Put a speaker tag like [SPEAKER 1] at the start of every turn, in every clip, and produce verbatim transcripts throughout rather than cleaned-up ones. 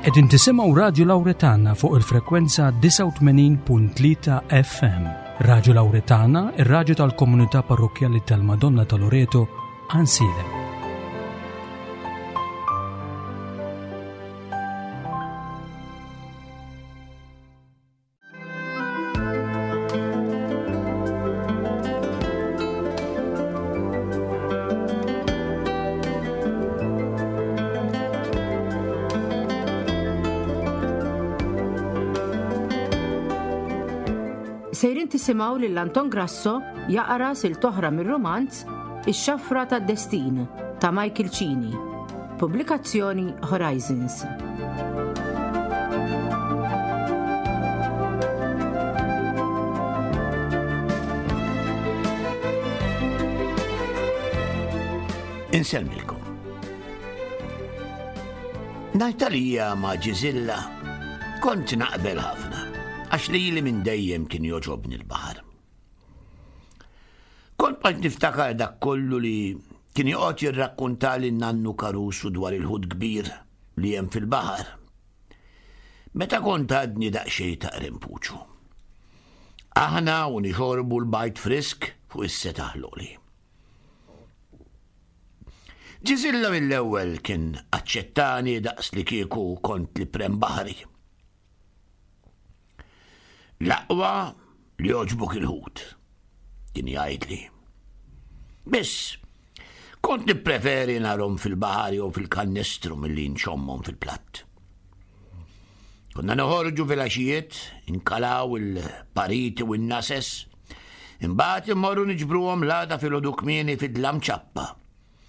[SPEAKER 1] Qegħdin tisimgħu Radju Lawretana fuq il-frekwenza disgħa u tmenin punt tlieta F M. Radju Lawretana, ir-radju tal-Komunità Parrokkjali tal-Madonna ta' Loreto, Għajnsielem.
[SPEAKER 2] Sejrin tisimgħu lil Anton Grasso jaqra silta oħra mir-romanz Ix-Xafra tad-Destin ta' Michael Cini. Pubblikazzjoni Horizons.
[SPEAKER 3] Insellmilkom. Najtalija ma' Ġiżilla kont naqbel ħafna, għax li li minn dejjem kien jogħġobni l-baħar. Kont bqajt niftakar dak kollu li kien joqgħod jirrakkuntali nannu Karusu dwar il-ħut kbir li hemm fil-baħar. Meta kont għadni daqsxejn ta' rimpuċu. Aħna u nixorbu l-bajd frisk fuq is-setaħ l-għoli. Ġiżilla mill-ewwel kien aċċettani daqs li kieku kont li prem baħri. L-aqwa li jogħġbok il-ħut, kien jgħidli. Biss, kont nippreferi narhom fil-baħar jew fil-kannestru milli nxommhom fil-platt. Konna noħorġu fil-għaxijiet, inkalaw il-pariti u n-nases, imbagħad immorru niġbruhom l-għada filgħodu kmieni fid-dlam ċappa,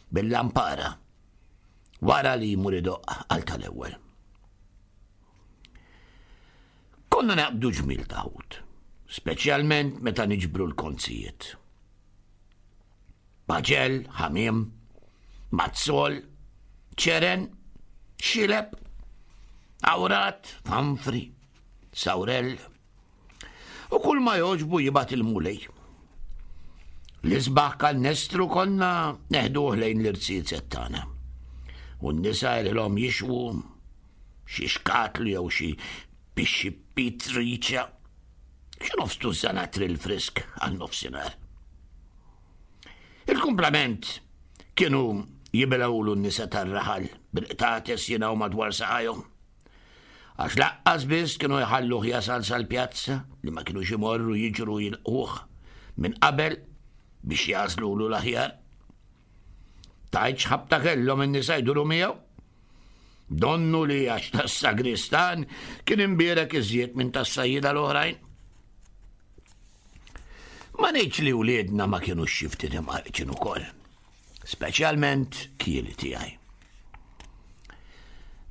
[SPEAKER 3] bil-lampara, wara li jmur idoqq għal tal-ewwel. Konna naqbdu ġmil ta' ħut, speċjalment meta niġbru l-konzijiet. Baġel, ħamiem, mazzol, ċeren, xileb, awrat, fanfri, sawrell, u kull ma jogħġbu jibgħat il-Mulej. L-isbaħ kannestru konna neħduh lejn l-irziezet tagħna. U n-nisa ilhom jixwu xi xkatlu jew xi pixxi pitriċa, xi nofs tużżana trill frisk għal nofsinhar. Il-kumplament kienu jibilgħulu n-nisa tar-raħal bil-qtates jingħu madwar saqajhom. Għax lanqas biss kienu jħalluh jasal sal-pjazza li ma kienu imorru jiġru jilquh minn qabel biex jagħżlulu l-aħjar. Tgħidx ħabta kellhom in-nisa jduru miegħu. Donnu li għax tas-sagristan kien imbierek iżjed minn tas-sajjida l-oħrajn. Ma ngħidx li wliedna ma kienu xi ftit imqarqċin ukoll, speċjalment kieli tiegħi.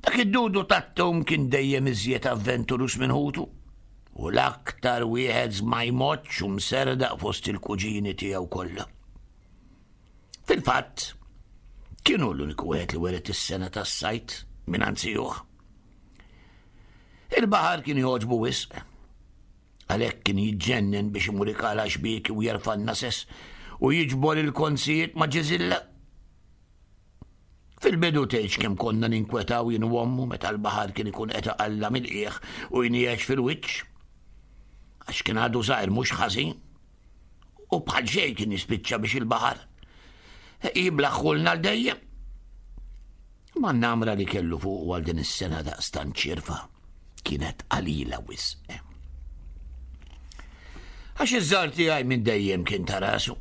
[SPEAKER 3] Dak id-dudu tat-tum kien dejjem iżjed avventurus minn ħutu u l-aktar wieħed żmajmoċ u mserdaq fost il-kuġini tiegħu kollha. Fil-fatt, kienu l-uniku wieħed li wiret is-sengħa tas-sajd minn zijuh. Il-baħar kien jogħġbu wisq. Għalhekk kien jiġġennen biex imur ikala xbieki u jerfa' n-nases u jiġbor il-konzijiet ma' Ġiżilla. Fil-bidu tgħidx kemm konna ninkwetaw jien u ommu meta l-baħar kien ikun qed iqalla' mill-qiegħ u jniex fil-wiċċ. Għax kien għadu żgħir mhux ħażin. U bħal xejn kien jispiċċa biex il-baħar jiblaħħulna għal dejjem. Ma n-namra li kellu fuq għal din is-sengħa daqstant ċirfa kienet qalila wisq. Għax iż-żgħar tiegħi minn dejjem kien ta' rasu.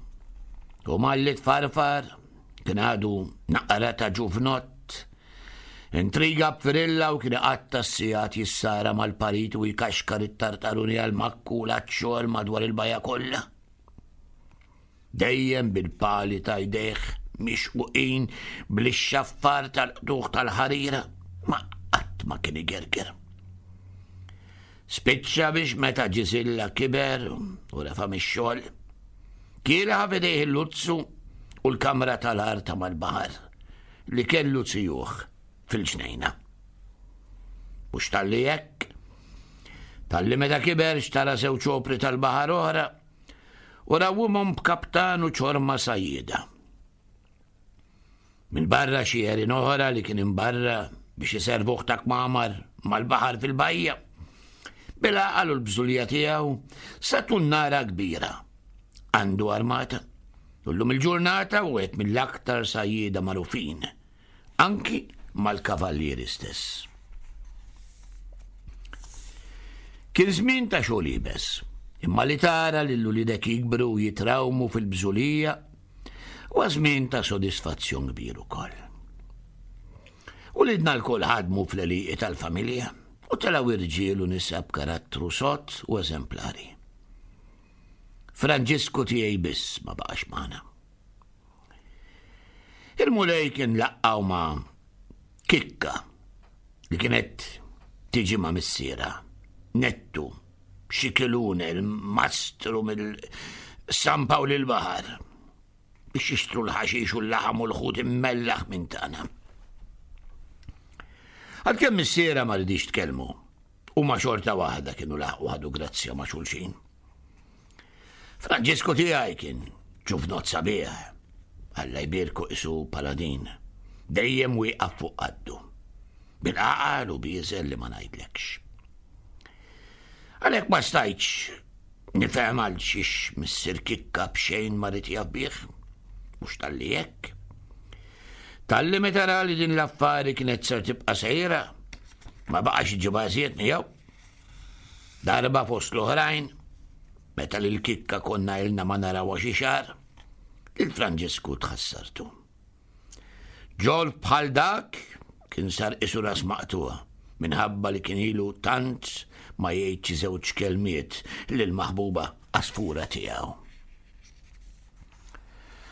[SPEAKER 3] U malli tfarfar kien għadu naqra ta' ġuvnott. Intriga b'firilla u kien iqatta' s-sigħat jissara mal-parit u jkaxkar it-tartaruni għal-makku l-xogħol madwar il-bajja kollha. Dejjem bil-pali ta' jdejh mixquqin bl-xaffar tal-qtuħ tal-ħarira, ma qatt ma kien igerger. Spiċċa biex meta Ġiżilla kiber u refa mix-xogħol, kien ħa f'idejh il-luzzu u l-kamra tal-art mal-baħar li kellu zijuh fil-ġnejna. Mhux talli hekk, talli meta kiber xtara żewġ opri tal-baħar oħra u rawwimhom b'kaptan u ċorma sajjieda. Minn barra xi għerien oħra li kien imbarra biex iservuh ta' kmamar mal-baħar fil-bajja. Bil-għaqal u l-bżulija tiegħu sa tunnara kbira. Għandu armata. U llum il-ġurnata u wieħed mill-aktar sajjieda magħrufin, anki mal-kavallieri stess. Kien żmien ta' xogħol iebes, imma li tara lil uliedek jikbru u jitrawmu fil-bżulija huwa żmien ta' sodisfazzjon kbir ukoll. Ulidna lkoll ħadmu fl-għelieqi tal-familja u telgħu irġiel u nisa b'karattru sod u eżemplari. Franġisku tiegħi biss ma baqax magħna. Il-Mulej kien laqqgħu ma' Kikka li kienet tiġi ma' missiera, Nettu, Xikilune, il-mastru mill-San Pawl il-Baħar, biex jixtru l-ħaxix u l-laħam u l-ħut immellaħ minn tagħna. Għalkemm missiera ma ridix tkellmu, u ma xorta waħda kienu laħqu ħadu grazzja ma' xulxin. Franġisku tiegħi kien ġuvnot sabiħ, Alla jbierku isu paladin, dejjem wieqaf fuq qaddu, bil-għaqal u bieżel li ma ngħidlekx. Għalhekk ma stajtx nifhem għal xiex missier Kikka b'xejn ma rid jaf bih, mhux talli hekk. Talli meta ra li din l-affari kienet ser tibqa' sejra, ma baqax iġibha iżjed miegħu. Darba fost l-oħrajn, meta lil Kikka konna ilna ma narawha xi xahar, lil Franġisku tħassartu. Ġolf bħal dak kien sar isu ras maqtuha minħabba li kien ilu tant ma jgħid xi żewġ kelmiet lil maħbuba għasfura tiegħu.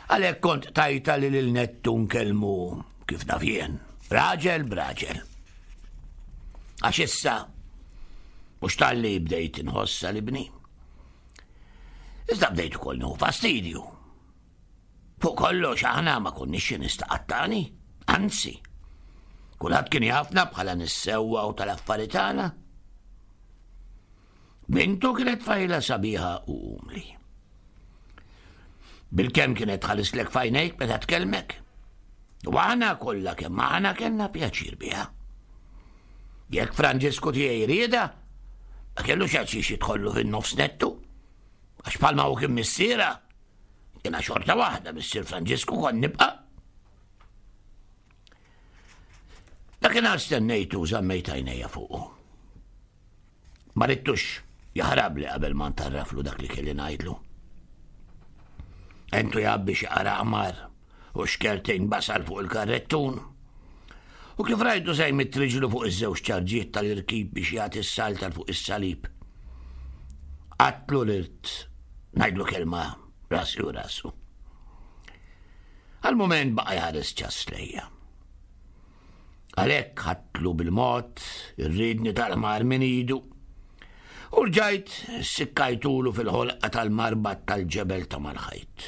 [SPEAKER 3] Għalhekk kont tajta li lil Nettu nkellmu kif naf jien, raġel b'raġel. Għax issa mhux talli bdejt inħossa li bni. Iżda bdejt ukoll nieħu fastidju. Fuq kollox aħna ma konniex xi nistaqattani, anzi, kulħadd kien jafna bħala nissewwa u tal-affari tagħna. Bintu kienet tfajla sabiħa u umli. Bilkemm kienet tħallislek f'għajnejk meta tkellmek. U aħna kollha kemm aħna kellna pjaċir biha. Jekk Franġisku tiegħi rieda, ma kellux għal xiex jidħollu fin-nofs Nettu. Għax bħalma hu kien missiera, jiena xorta waħda missier Franġisku kont nibqa'. Dakinhar stennejtu u żammejt għajnejja fuqu. Ma ridtux jaħrabli qabel ma ntarraflu dak li kelli ngħidlu. Entu jgħabbi xi qara qmar u xkertejn basal fuq il-karrettun. U kif rajtu se jmitt riġlu fuq iż-żewġ ċarġiet tal-irkib biex jagħti s-salta fuq is-salib. Qatlu l-irt ngħidlu kelma rasi u rasu. Għal-mument baqa' jħares ċass lejja. Għalhekk ħadtlu bil-mod ir-riedni tal-ħmar minn idu u rġajt sikkajtulu fil-ħolqa tal-marbat tal-ġebel ta' mal-ħajt.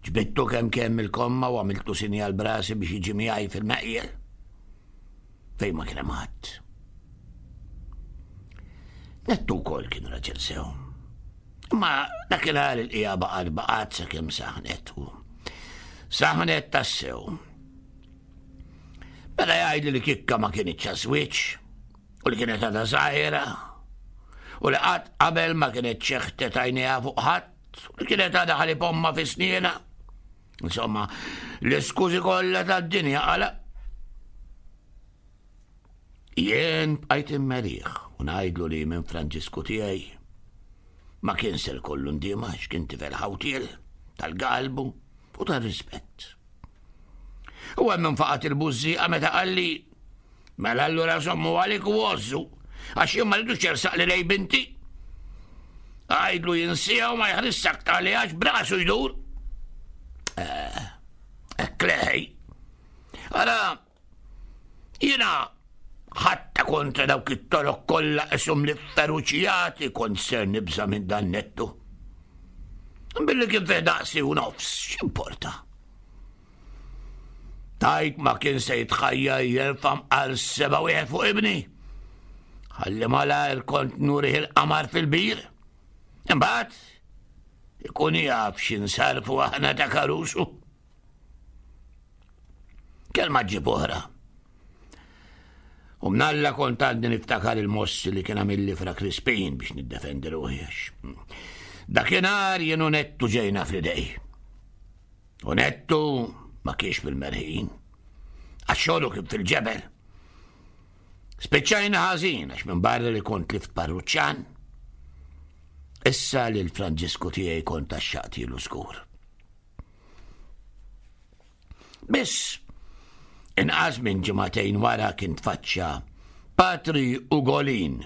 [SPEAKER 3] Ġbidtu kemm kemm il-komma u għamiltu sinjal brasi biex jiġi miegħi fil-meqjel fejn ma kien hemm ħadd. Nettu wkoll kien raġel sew. Imma dakinhar il-qija baqgħet baqgħet sakemm saħnet u saħnet tassew. Mela jgħidli li Kikka ma kienitx għaż-żwieġ u li kienet għadha żgħira u li qatt qabel ma kienet xeħtet għajnejha fuq ħadd u li kienet għadha ħalib ommha fi snienha. Insomma, l-iskużi kollha tad-dinja qala. Jien bqajt immerih u ngħidlu li minn Franġisku tiegħi ma kien ser kollu ndiema għax kien tifel ħawtiel tal-galbu u tal-rispett. U hemm infaqat il-bużżieqa meta qalli mela allura żommu għalik u għożżu għax jien ma rridux jersaq li lej binti. Għajdlu jinsija u ma jħares aktar li għax brasu jdur. Hekk leħej. Ara, jiena ħatta kontra dawk it-torok kollha qishom li feruċjati kont ser nibża' minn dan Nettu. Billi kien fih daqsi u nofs, x'importa? Tajt ma kien se jitħajja jerfa' mqar seba' wieħed fuq ibni. Ħalli malajr kont nurih il-qamar fil-bir. Imbagħad ikun jaf x'insarfu aħna ta' karusu. Kelma ġib oħra. U mnalla kont għadni niftakar il-mossi li kien għamilli Fra Crispin biex niddefendi ruħi għax. Dakinhar jien u Nettu ġejna fl-idej. U Nettu ma kienx fil-merħin. Għax xogħlu kien fil-ġebel. Spiċċajna ħażin għax minn barra li kont tlift parruċċan. Issa li l-Franġisku tiegħi kont għaxxaqtilu żgur. Biss, inqas minn ġimagħtejn wara kien tfaċċa Patri Ugolin.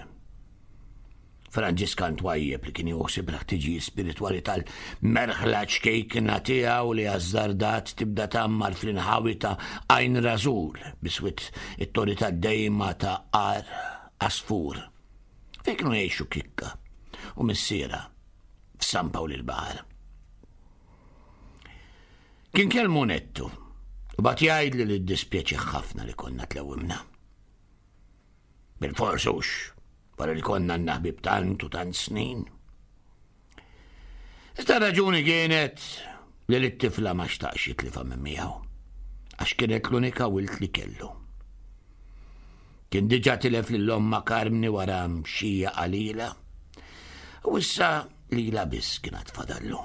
[SPEAKER 3] Franġiskan twajjeb li kien joħsib l-ħtiġijiet spiritwali tal-merħla ċkejkna tiegħu li azzardat tibda tgħammar fl-inħawi ta' Għajn Rażul biswit it-torri tad-dejma ta' Għar Għasfur. Fejn kienu jgħixu Kikka u missiera f'San Pawl il-Baħar. Kien kellmu Nettu u bagħat jgħidli li ddispjaċih ħafna li konna tlewwimna. Bil-fors hux, wara li konna għandna ħbieb tant u tant snin. Iżda raġuni kienet li l-tifla ma xtaqx jitlifha minn miegħu, għax kienet l-unika wilt li kellu. Kien diġà tilef lil ommha Karmni wara mxija qalila, u issa lilha biss kienet fadallu.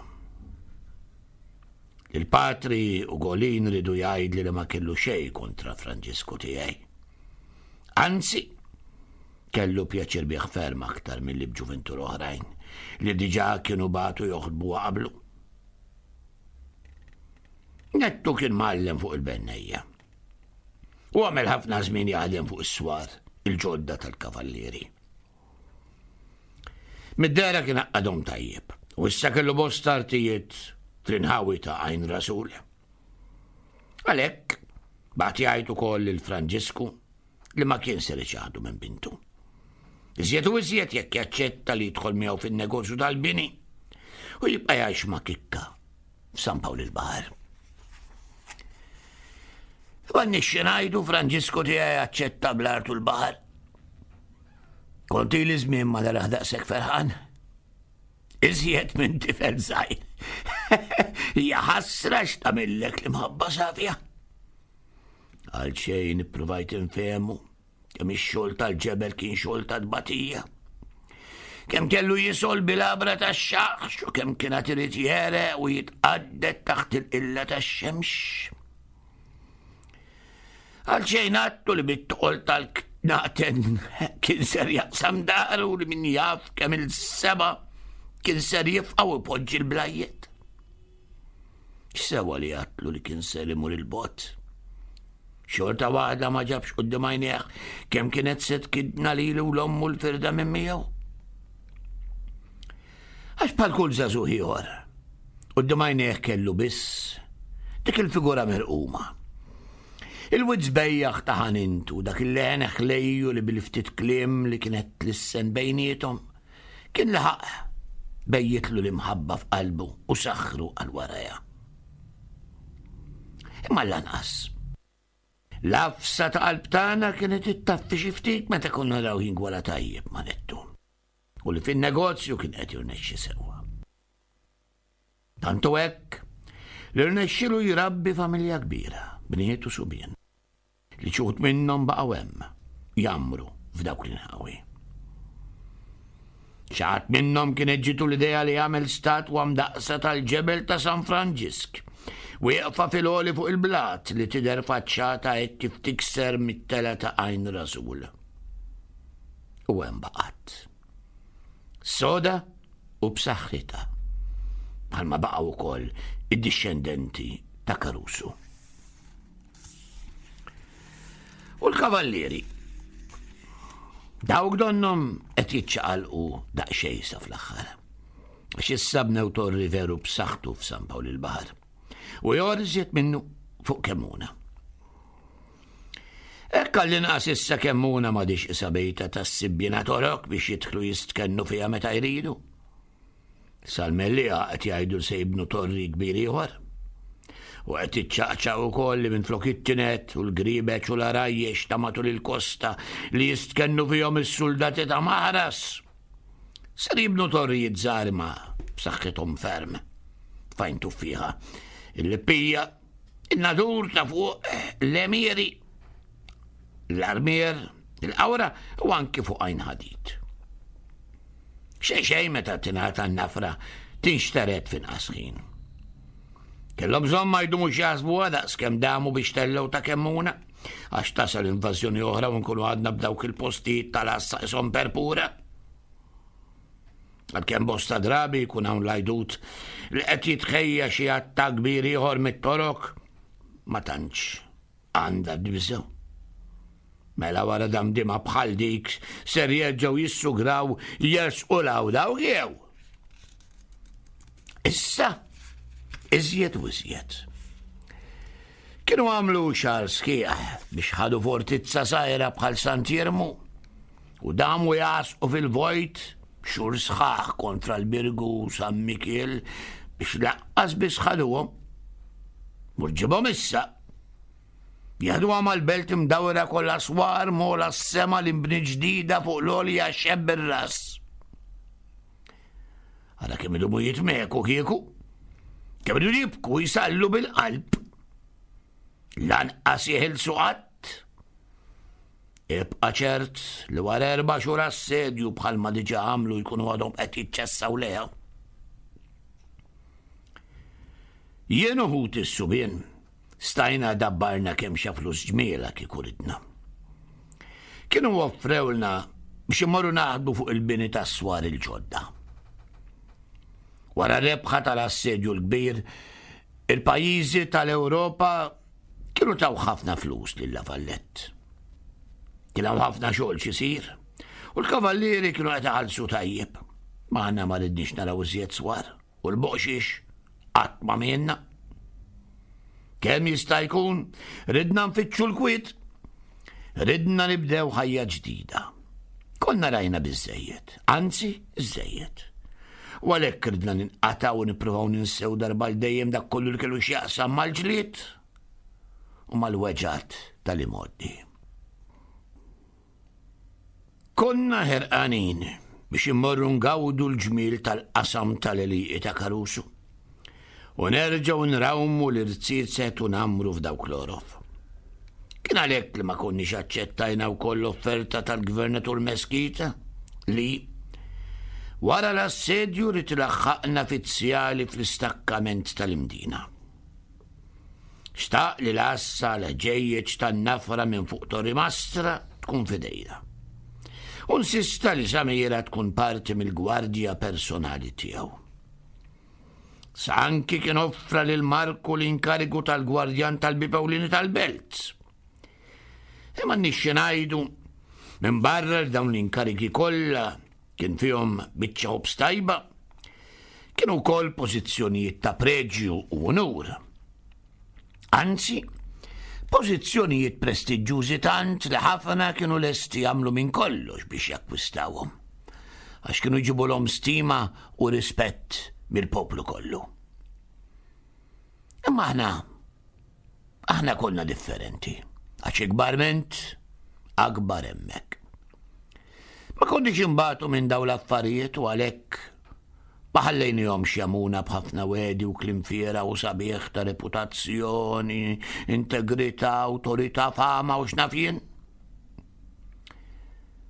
[SPEAKER 3] Il-Patri Ugolin ridu jgħidli li ma kellu xejn kontra Franġisku tiegħi. Anzi, kellu pjaċir bih ferm aktar milli b'ġuventur oħrajn li diġà kienu bagħtu joħdbu qablu. Nettu kien mgħallem fuq il-bennejja. U għamel ħafna żmien jaħdem fuq is-swar il-ġodda tal-kavallieri. Mid-dehra kien għaqqadhom tajjeb, u issa kellu bosta artijiet fl-inħawi ta' Għajn Rasul. Għalhekk, bagħat jgħid ukoll lil Franġisku li ma kien ser iċaħdu minn bintu. Iżjed u iżjed jekk jaċċetta li jidħol miegħu fin-negozju tal-bini u jibqa' jgħix ma' Kikka f'San Pawl il-Baħar. M'għandniex xi ngħidu, Franġisku tiegħi aċċetta bl-art u l-baħar. Kont ili żmien ma naraħ daqshekk ferħan. Iżjed minn tifel żgħir. Hija ħasra x'tagħmillek l-imħabba safja. Għal xejn ippruvajt infehmu kemm ix-xogħol tal-ġebel kien xogħol ta' tbatija. Kemm kellu jisol bil-għabra tax-xaħx u kemm kien għad irid jereq u jitqadded taħt il-qilla tax-xemx. Għal xejn għattu li bit-toqol tal-knaten kien ser jaqsam daru li min jaf kemm il-seba kien ser jifqa' u jpoġġi l-blajjet. X'sewa li għatlu li kien ser imur il-bot. Xorta waħda ma ġabx quddiem għajnejh kemm kienet se tkidna lilu u l-ommu l-firda minn miegħu. Għax bħal kull żagħżugħ ieħor, quddiem għajnejh kellu biss dik il-figura mirquma. Il-wied sbejjaħ ta' ħanintu, dak il-leħen ħlejju li bil-ftit kliem li kienet tlissen bejniethom, kien laħaq bejjitlu l-imħabba f'qalbu u saħħru għal warajha. Imma lanqas. L-għafsa ta' qalb tagħna kienet ittaffi xi ftit meta konna naraw jingwala tajjeb ma' Nettu u li fin-negozju kien qed jirnexxi sewwa. Tantu hekk li rnexxilu jrabbi familja kbira, bniet u subien, li xi wħud minnhom baqgħu hemm jgħammru f'dawk l-inħawi. Xi ħadd minnhom kienet ġitu l-idea li jagħmel statwa mdaqqsa tal-ġebel ta' San Franġisk, wieqfa fil-għoli fuq il-blat li tidher faċċata hekk kif tikser mit-tela ta' Għajn Rasul. U hemm baqgħet. Soda u b'saħħitha, bħalma baqgħu wkoll id-dixxendenti ta' Caruso. U l-kavallieri dawk donnhom qed jiċċaqalqu daqsxejn sa fl-aħħar. Għax issa bnew torri veru b'saħħtu f'San Pawl il-Baħar u ieħor iżjed minnu fuq Kemmuna. Hekk għall-inqas issa Kemmuna m'għadix isa bejta tas-sibbina torok biex jidħlu jistkennu fiha meta jridu. Sal-Mellieħa qed jgħidu se jibnu torri kbir ieħor. U qed iċċaqċaq ukoll li minflok it-tinet u l-gribeċ u l-arajjex ta' matul il-kosta li jistkennu fihom is-suldati ta' Maħras. Ser jibnu torrijiet żgħar ma b'saħħithom ferm. Fejn tuffiħa il-Lippija, in-Nadur ta' fuq l-Emieri, l-Armier, Il-Qawra u anki fuq Għajn Ħadid. Xejn xejn meta tingħata n-nafra tinxtered f'inqas ħin. Kellhom bżonn ma jdumux jaħsbuha daqs kemm damu biex tellgħu ta' Kemmuna, għax tasal invażjoni oħra u nkunu għadna b'dawk il-postijiet tal-għassa qishom perpura. Għalkemm bosta drabi jkun hawn l-għajdut li qed jitħejja xi attakk kbir ieħor mit-Torok, ma tantx għandha tbiżgħu. Mela wara damdima bħal dik ser jerġgħu jissugraw jersqu 'l hawn dawk jew. Issa, iżjed u iżjed. Kienu għamlu xahar sħiħ biex ħadu fortizza sajra bħal Sant'Iermu u damu jasqu fil-vojt xhur sħaħ kontra l-Birgu u San Mikiel biex laqqas biss ħaduhom. Mur ġibhom issa. Jaħduha mal-belt imdawra kollha swar mola s-sema l-imbni ġdida fuq l-għolja xebb ir-ras. Ara kemm idumu jitmeku kieku. Kemm idu jibku jisallu bil-qalb. Lanqas jeħilsu qatt. Ibqa' ċert li wara erba' xhur assedju bħalma diġà għamlu jkunu għadhom qed jiċċessaw leha. Jien u ħuti s-subien stajna dabbarna kemm xa flus ġmiela kieku ridna. Kienu offrewlna biex imorru naħdmu fuq il-bini tas-swar il-ġodda. Wara rebħa tal-assedju l-kbir, il-pajjiżi tal-Ewropa kienu taw ħafna flus lil La Vallette. Kien hawn ħafna xogħol x'isir, u l-kavallieri kienu qed iħallsu tajjeb. Ma aħna ma ridniex naraw iżjed swar, u l-boqxiex qatt ma mienna. Kemm jista' jkun, ridna nfittxu l-kwiet, ridna nibdew ħajja ġdida. Konna rajna biżżejjed, anzi żejjed. U għalhekk ridna ninqatgħu u nippruvaw ninsew darba l dejjem dak kollu li kellu x'jaqsam mal-ġlied u mal-weġgħat tal-imgħoddi. Konna ħerqanin biex immorru ngawdu l-ġmiel tal-qasam tal-għelieqi ta' Karusu u nerġgħu nrawmu l-irziezet u namru f'dawk l-orof. Kien għalhekk li ma konniex aċċettajna wkoll l-offerta tal-Gvernatur Meskita li wara l-assedju rid ilaħħaqna fizzjali fl-istakkament tal-Imdina. Xtaq li l-għassa l-ħġejjeġ tan-nafra minn fuq Torri Mastra tkun fidejna. U nsista li Samira tkun parti mill-gwardja personali tiegħu. Sa anki kien offra lil Marku l-inkarigu tal-gwardjan tal-bibewlini tal-belt. Imma nixxi ngħidu minn barra li dawn l-inkarigi kollha kien fihom biċċa ħobż tajba, kienu wkoll pożizzjonijiet ta' preġju u unur. Anzi, pożizzjonijiet prestiġjużi tant li ħafna kienu lesti jagħmlu minn kollox biex jakkwistawhom, għax kienu jġibulhom stima u rispett mill-poplu kollu. Imma aħna, aħna konna differenti, għax ikbar ment, akbar hemmhekk. Ma konniex imbagħtu minn dawn l-affarijiet u għalhekk ma ħallejnihomx jamuna b'ħafna wedi u kliem fiera u sabiħ ta' reputazzjoni, integrità, awtorità, fama u x'naf jien.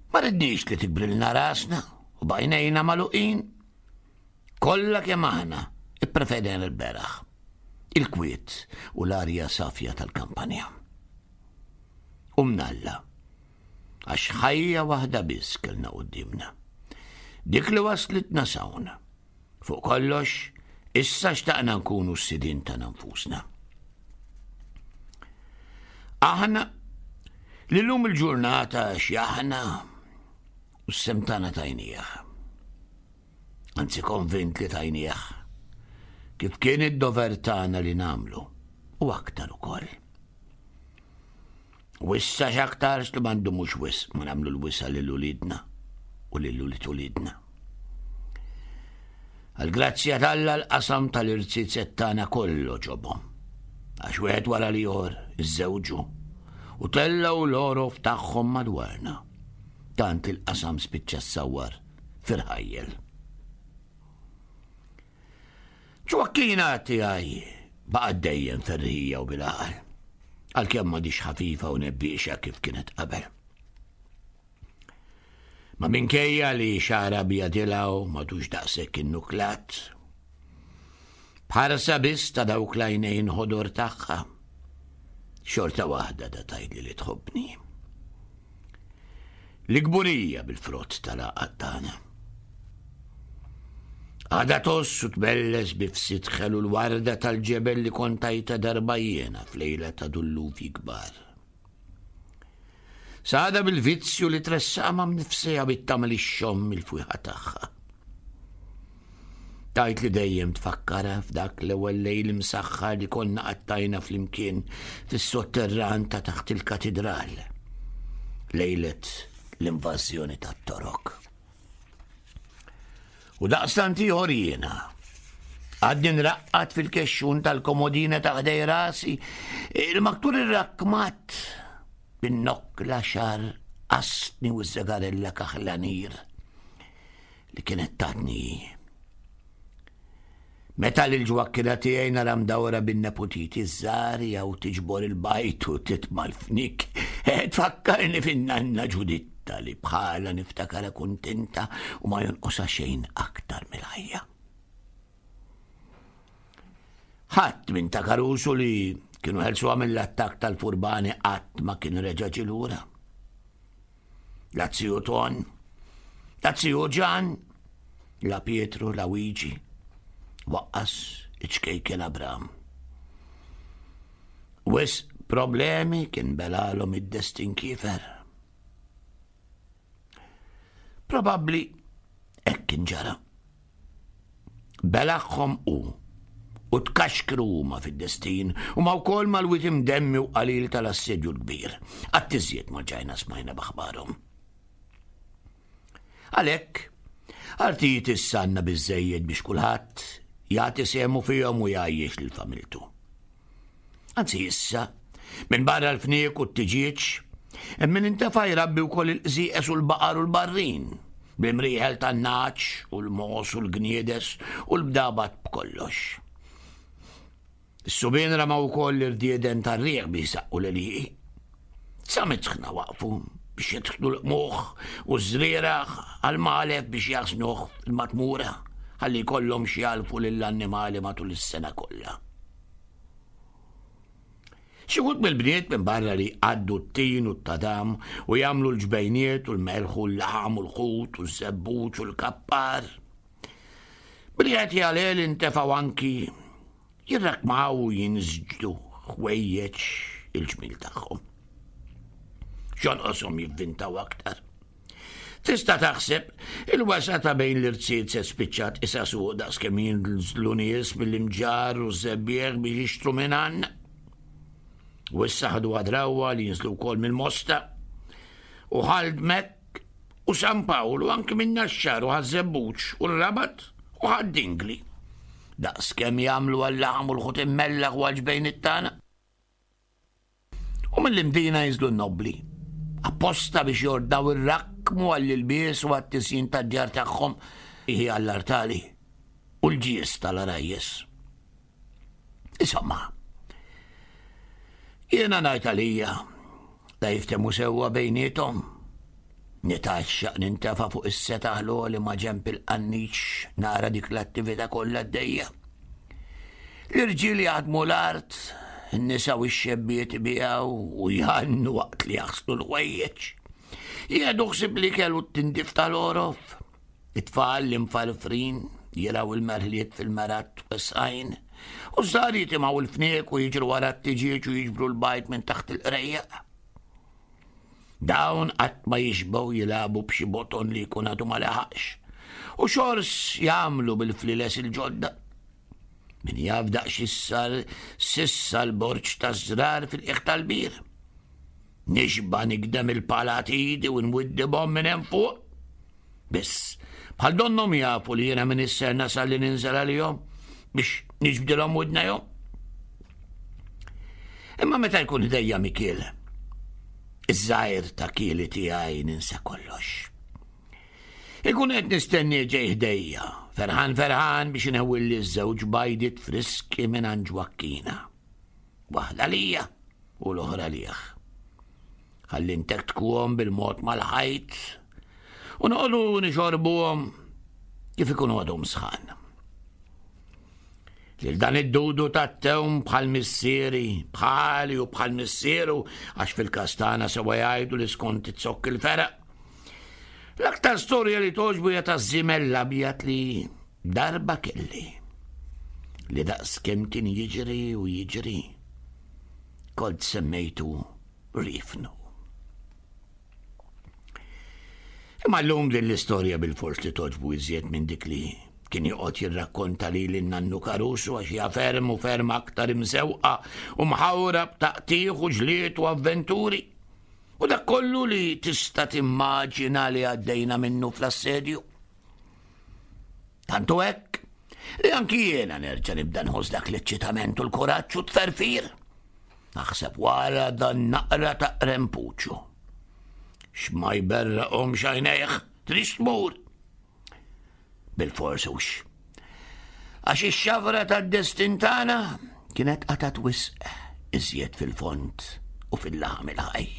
[SPEAKER 3] Ma ridniex li tikbrilna rasna u bajnejna magħluqin. Kollha kemm aħna ippreferejna l-beraħ, il-kwiet u l-arja safja tal-kampanja. U mnalla, għax ħajja waħda biss kellna quddiemna. Dik li waslitna s'hawn. Fuq kollox, issa xtaqna nkunu s-sidien tagħna nfusna. Aħna li llum il-ġurnata x'jaħna u s-semtana tajnieh. Anzi konvint li tajnieh. Kif kien id-dover tagħna li nagħmlu u aktar ukoll. U issa x'aktarx li m'għandhomux wisq ma nagħmlu l-wisa lil uliedna u lil ulied uliedna. Għal-grazzja t'Alla l-qasam tal-irziezet tagħna kollu ġobhom. Għax wieħed wara l-ieħor iżżewġu u tellgħu l-orof tagħhom madwarna. Tant il-qasam spiċċa ssawwar firħajjel. Ġwakkina tiegħi baqgħet dejjem ferħija u bil-għaqal, għalkemm m'għadix ħafifa u nebbiexa kif kienet qabel. Ma minkejja li xara bjadilaw madux daqshekk innuklat. Bħarsa biss ta' dawk l-għajnejn ħodor tagħha. Xorta waħda da tgħidli li tħobbni. L-kburija bil-frott tal-għaqad tagħna. Għada toss u tbelles bifsit ħelu l-warda tal-ġebel li kontajta darba jiena f'lejla ta' dulluvi kbar. Sada bil-vizzju li tressama mnifsija bit-tagħmel ix-xomm il-fwieħa tagħha. Tajt li dejjem tfakkara f'dak l-ewwel lejl imsaħħar li konna qattajna flimkien fis-sotterran ta' taħt il-katidral. Lejlet l-invażjoni tat-Torok. U daqstant ieħor jiena. Għadni nraqqad fil-kexxun tal-komodina ta' ħdej rasi, il-maktur irrakkmat bin-nokla xar qasni u z-żagarella kaħlanir li kienet tatni. Meta l-ġwakkina tiegħi nara mdawra bin-neputiti żgħar jew tiġbor il-bajt u titma' l-fnik, tfakkarni fin-nanna Ġuditta li bħala niftakara kuntenta u ma jonqosha xejn aktar mill-ħajja. Ħadd minn ta' Karusu li kienu ħelsuha mill-attakk tal-furbani qatt ma kien reġa' ġie lura. La ziju Ton, la ziju Ġan, la Pietru, la Wiġi, waqqas iċ-ċkejken Abram. Wis problemi kien belalhom id-destin kiefer. Probabbli hekk kien ġara. Belaħħom u u tkaxkru huma fid-destin u ma wkoll mal-wit imdemmi u qalil tal-assedju l-kbir. Qatt iżjed ma ġajna smajna b'aħbarhom. Għalhekk, artijiet issa għandna biżżejjed biex kulħadd jagħti sehmu fihom u jgħajjex lil familtu. Anzi issa, minn barra l-fniek u t-tiġieġ, hemm min intefa' jrabbi wkoll il-qżieqes u l-baqar u l-barrin, bl-imrieħel tan-nagħaġ u l-mogħoż u l-gniedes u l-bdabat b'kollox. Is-subien ramaw ukoll l-irdieden tar-riħ biex isaqqu l-għelieqi. Sa mitħna waqfu biex jidħlu l-qmuħ u ż-żrieragħ għal-malef biex jaħsnuh fil-matmura ħalli jkollhom xi jagħlfu lill-annimali matul is-sena kollha. Xi wħud mill-bniet minn barra li jqaddu t-tin u t-tadam u jagħmlu l-ġbejniet u l-melħ u l-laħam u l-ħut u ż-żebbuġ u l-kappar. Billi qed jgħalel intefgħu anki jirrakmaw u jinżġdu ħwejjeġ il-ġmil tagħhom. X'jonqoshom jivvintaw aktar. Tista' taħseb il-wasa ta' bejn l-irtsiet se spiċċat isa suq daqskemm jinżlu nies mill-imġarr u ż-żebbieħ biex jixtru minn għandna. U issa ħadu għadrawwa li jinżlu wkoll mill-Mosta u Ħaldmek u San Pawl u anki minn Naxxar u Ħaż-Żebbuġ u r-Rabat u Ħad-Dingli. Daqskemm jagħmlu għal-laħam u l-ħut immellaħ u għall-ġbejn it-tagħna. U mill-Imdina jinżlu n-nobbli, apposta biex jordnaw ir-rakkmu għall-ilbies u għat-tisjin tad-djar tagħhom hi għall-artali u l-ġies tal-arajjes. Insomma, jiena ngħid għalija la jiftemu sewwa bejniethom. Nitaxxaq nintefa' fuq is-setaħ l-għoli ma' ġenb il-qanniċ nara dik l-attività kollha għaddejja. L-irġiel jaħdmu l-art, in-nisa u x-xebbiet ibiegħu u jgħannu waqt li jaħslu l-ħwejjeġ. Jieħdu ħsieb l-ikel u t-tindif tal-għorof. It-tfal l-imfarfrin jiraw il-merħliet fil-merat wesgħin u ż-żgħar jitimgħu l-fniek u jiġru wara t-tiġieġ u jiġbru l-bajt minn taħt il-qrejjaq. Dawn qatt ma jixbgħu jilagħbu b'xi boton li jkun għadu ma leħaqx. U xors jagħmlu bil-fliles il-ġodda. Min jaf daqs issar sissa l-borġ taż-żrar fil-qiegħ tal-bir. Nixba nikdem il-palat idi u nwiddibhom minn hemm fuq. Biss, bħal donnhom jafu li jiena minn isser nasal li ninżel għalihom biex niġbdilhom widnejhom. Imma meta jkun ħdejja Mikiel, iż-żgħir ta' kieli tiegħi ninsa kollox. Ikun qed nistenni ġej ħdejja, ferħan ferħan biex inħewwilli ż-żewġ bajdiet friski minn għand Ġwakkina. Waħda lija u l-oħra lih. Ħalli ntektkuhom bil-mod mal-ħajt U noqogħdu nixorbuhom kif ikunu għadhom sħan. Lil dan id-dudu tat-tewm bħal missieri, bħali u bħal missieru, għax fil-każ tagħna sewa jgħidu li skont it-zokk il-feraq. L-aktar storja li togħġbu hija taż-żiemel l-abjad li darba kelli. Li daqs kemm kien jiġri u jiġri. Kont semmejtu Rifnu. Imma llum din l-istorja bil-fors li togħġbu iżjed minn dik li kien joqgħod jirrakkonta lili n-nannu Caruso għax hija ferm u ferm aktar imżewqa u mħawra b'taqtigħ u ġlied u avventuri. U dak kollu li tista' timmaġina li għaddejna minnu fl-assedju. Tantu hekk li anki jiena nerġa' nibda nħoss dak l-eċċitament u l-kuraġġ u t-tferfir. Naħseb wara dan naqra ta' qrempuċu. X'ma jberraqhomx għajnejh, tridx tmur. Bil-fors hux. Għax ix-xafra tad-destin tagħna kienet qatgħet wisq iżjed fil-fond u fil-laħam il-ħaj.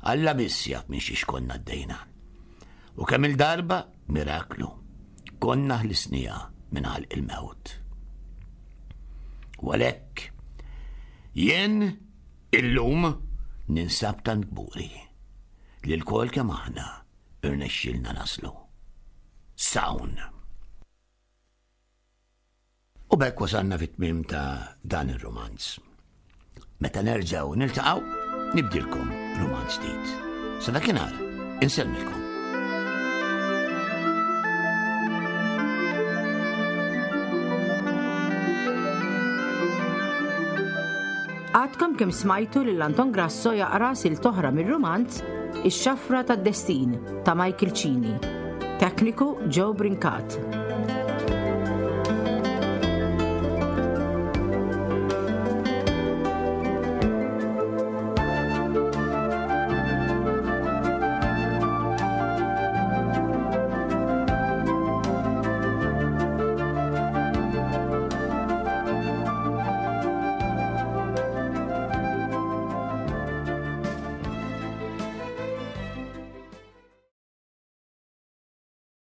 [SPEAKER 3] Alla biss jaf minn xiex konna għaddejna. U kemm il-darba, miraklu, konna ħlisnija minn ħalq il-mewt. U għalhekk, jien illum ninsab tant kburi li lkoll kemm aħna irnexxielna naslu. Sawn. U b'hekk wasalna fit-tmiem ta' dan ir-romanz. Meta nerġgħu niltaqgħu, nibdilkom romanz ġdid. Sa dakinhar, insellmilkom.
[SPEAKER 2] Għadkom kemm smajtu lil Anton Grasso jaqra silta oħra mir-romanz Ix-Xafra tad-Destin ta' Michael Cini. Tekniku Joe Brincat.